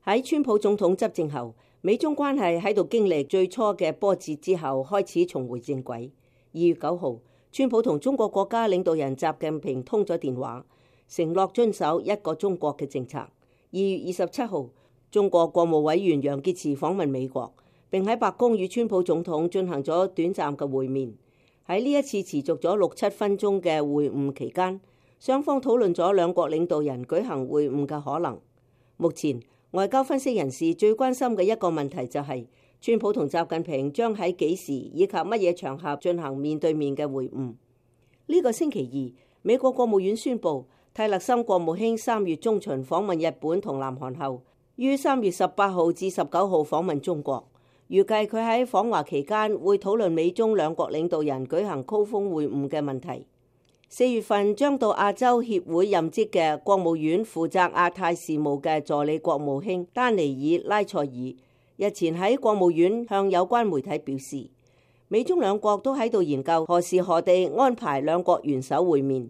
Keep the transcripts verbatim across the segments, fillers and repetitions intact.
喺川普總統執政後，美中關係喺度經歷最初嘅波折之後，開始重回正軌。二月九號，川普同中國國家領導人習近平通咗電話，承諾遵守一個中國嘅政策。二月二十七號，中國國務委員楊潔篪訪問美國，並喺白宮與川普總統進行咗短暫嘅會面。喺呢一次持續咗六七分鐘嘅會晤期間，雙方討論咗兩國領導人舉行會晤嘅可能。目前外交分析人士最關心嘅一個問題就係，川普同習近平將喺幾時以及乜嘢場合進行面對面嘅會晤。呢個星期二，美國國務院宣布，蒂勒森國務卿三月中旬訪問日本同南韓後，於三月十八號至十九號訪問中國。預計佢喺訪華期間會討論美中兩國領導人舉行高峰會晤嘅問題。四月份將到亞洲協會任職嘅國務院負責亞太事務嘅助理國務卿丹尼爾拉塞爾日前喺國務院向有關媒體表示，美中兩國都喺度研究何時何地安排兩國元首會面。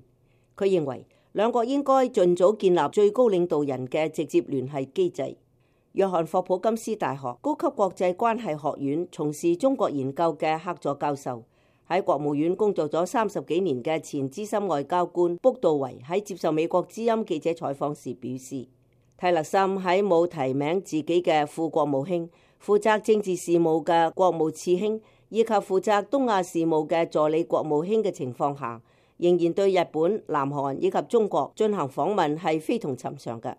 佢認為兩國應該盡早建立最高領導人嘅直接聯繫機制。約翰霍普金斯大學高級國際關係學院從事中國研究嘅客座教授，喺國務院工作咗三十幾年嘅前資深外交官卜道維喺接受美國之音記者採訪時表示，蒂勒森喺冇提名自己嘅副國務卿、負責政治事務嘅國務次卿以及負責東亞事務嘅助理國務卿嘅情況下，仍然對日本、南韓以及中國進行訪問係非同尋常嘅。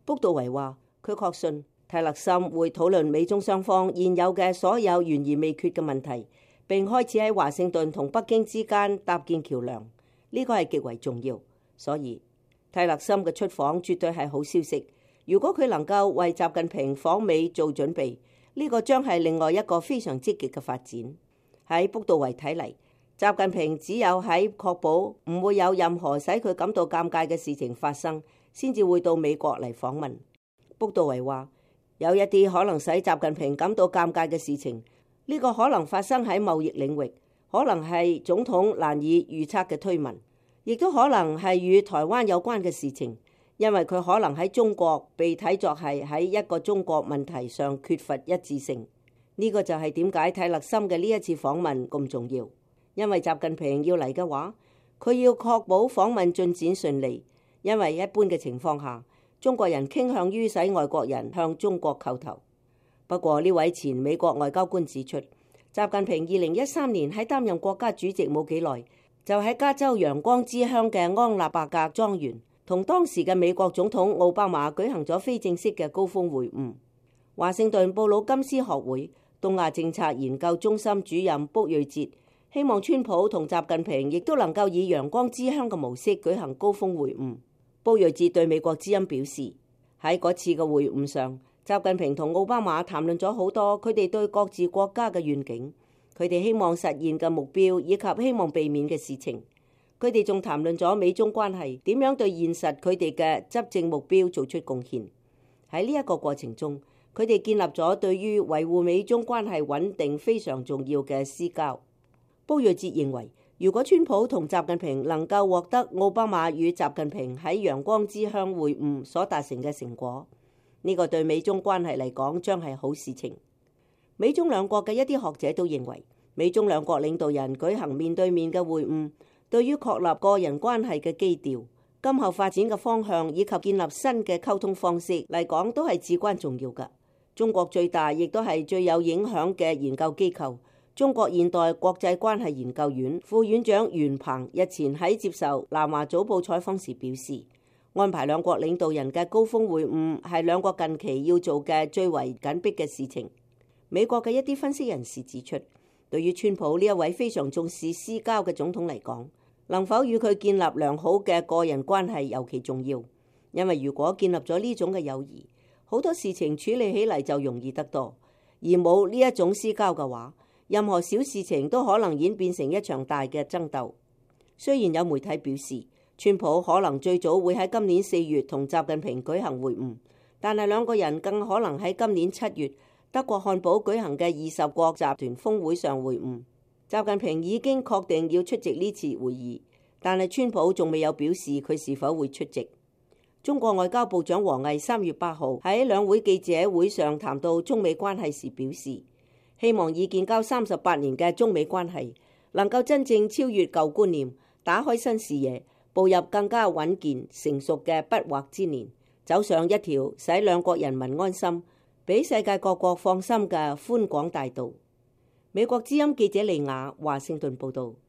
卜道維話，佢確信蒂勒森會討論美中雙方現有嘅所有懸而未決嘅問題，並開始喺華盛頓同北京之間搭建橋樑，呢個係極為重要。所以蒂勒森嘅出訪絕對係好消息。如果佢能夠為習近平訪美做準備，呢個將係另外一個非常積極嘅發展。喺卜道維睇嚟，習近平只有喺確保唔會有任何使佢感到尷尬嘅事情發生，先至會到美國嚟訪問。卜道維話，有一啲可能使習近平感到尷尬嘅事情，呢個可能發生喺貿易領域，可能係總統難以預測嘅推文，亦都可能係與台灣有關嘅事情，因為佢可能喺中國被睇作係喺一個中國問題上缺乏一致性。呢個就係點解蒂勒森嘅呢一次訪問咁重要，因為習近平要嚟嘅話，佢要確保訪問進展順利，因為一般嘅情況下，中國人傾向於使外國人向中國叩頭。不過呢位前美國外交官指出，習近平二零一三年喺擔任國家主席冇幾耐，就喺加州陽光之鄉嘅安納伯格莊園同當時嘅美國總統奧巴馬舉行咗非正式嘅高峰會晤。華盛頓布魯金斯學會東亞政策研究中心主任卜瑞哲希望川普同習近平亦都能夠以陽光之鄉嘅模式舉行高峰會晤。卜瑞哲對美國之音表示，喺嗰次嘅會晤上，習近平同奧巴馬談論咗好多佢哋對各自國家嘅願景，佢哋希望實現嘅目標以及希望避免嘅事情。佢哋仲談論咗美中關係點樣對現實佢哋嘅執政目標做出貢獻。喺呢一個過程中，佢哋建立咗對於維護美中關係穩定非常重要嘅私交。卜瑞哲認為，如果川普同習近平能夠獲得奧巴馬與習近平喺陽光之鄉會晤所達成嘅成果，呢個對美中關係嚟講將係好事情。美中兩國嘅一啲學者都認為，美中兩國領導人舉行面對面嘅會晤，對於確立個人關係嘅基調、今後發展嘅方向以及建立新嘅溝通方式嚟講，都係至關重要嘅。中國最大亦都係最有影響嘅研究機構，中國現代國際關係研究院副院長袁鵬日前喺接受南華早報採訪時表示，安排兩國領導人嘅高峰會晤係兩國近期要做嘅最為緊迫嘅事情。美國嘅一啲分析人士指出，對於川普呢一位非常重視私交嘅總統嚟講，能否與佢建立良好嘅個人關係尤其重要，因為如果建立咗呢種嘅友誼，好多事情處理起嚟就容易得多，而冇呢一種私交嘅話，任何小事情都可能演變成一場大嘅爭鬥。雖然有媒體表示，川普可能最早會喺今年四月同習近平舉行會晤，但係兩個人更可能喺今年七月德國漢堡舉行嘅二十國集團峰會上會晤。習近平已經確定要出席呢次會議，但係川普仲未有表示佢是否會出席。中國外交部長王毅三月八號喺兩會記者會上談到中美關係時表示，希望以建交三十八年嘅中美關係能夠真正超越舊觀念，打開新視野，步入更加穩健成熟嘅不惑之年，走上一條使兩國人民安心、俾世界各國放心嘅寬廣大道。美國之音記者利亞華盛頓報道。